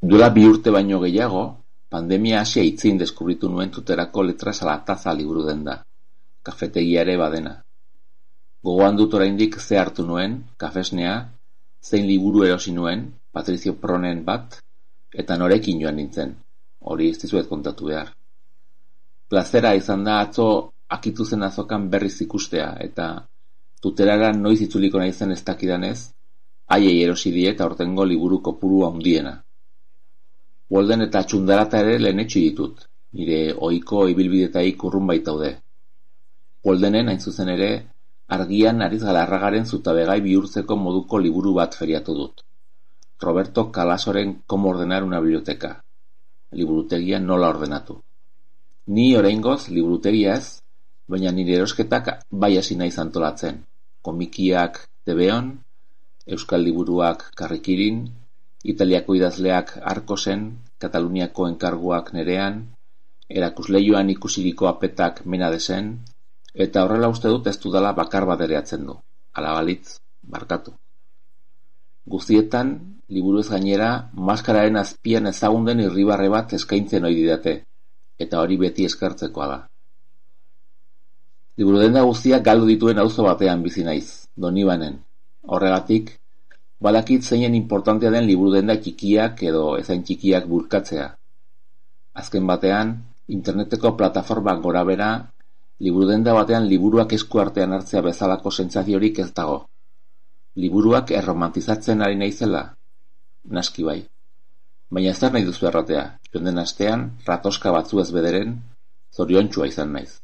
Duela 2 urte baino gehiago, pandemia hasi aitzin deskubritu nuen Tuterako Letras a la Taza liburu denda, kafetegia ere badena. Gogoan dut oraindik ze hartu nuen, kafesnea, zein liburu erosi nuen, Patricio Pronen bat, eta norekin joan nintzen, hori ez dizuet kontatu behar. Plazera izan da atzo akitu zen azokan berriz ikustea, eta Tuterara noiz itzuliko naizen ez dakidanez, haiei erosi diet aurtengo liburu kopuru handiena. Walden eta Txundarata ere lehenetsi ditut, nire ohiko ibilbidetaik urrun baitaude. Waldenen hain zuzen ere, Argian Ariz Galarragaren zutabegai bihurtzeko moduko liburu bat feriatu dut. Roberto Calasoren Cómo ordenar una biblioteca. Liburutegia nola ordenatu. Ni oraingoz liburutegia ez, baina nire erosketak bai hasi naiz antolatzen. Komikiak TVOn, euskal liburuak Karrikirin, Italiako idazleak Arkosen, Kataluniako enkarguak Nerean, erakusleioan ikusiriko apetak Menadesen, eta horrela uste dut ez dudala bakar bat ere atzen du. Hala balitz, barkatu. Guztietan, liburuez gainera, maskararen azpian ezagun den irribarre bat eskaintzen ohi didate, eta hori beti eskertzekoa da. Liburudenda guztiak galdu dituen auzo batean bizi naiz, Donibanen. Horregatik, badakit zeinen importantea den liburudenda txikiak edo ezain txikiak bulkatzea. Azken batean, interneteko plataformak gorabera, liburudenda batean liburuak esku artean hartzea bezalako sentsaziorik ez dago. Liburuak erromantizatzen ari naizela? Naski bai. Baina zer nahi duzu erratea, joan den astean, ratoska batzuez bederen, zoriontsua izan naiz.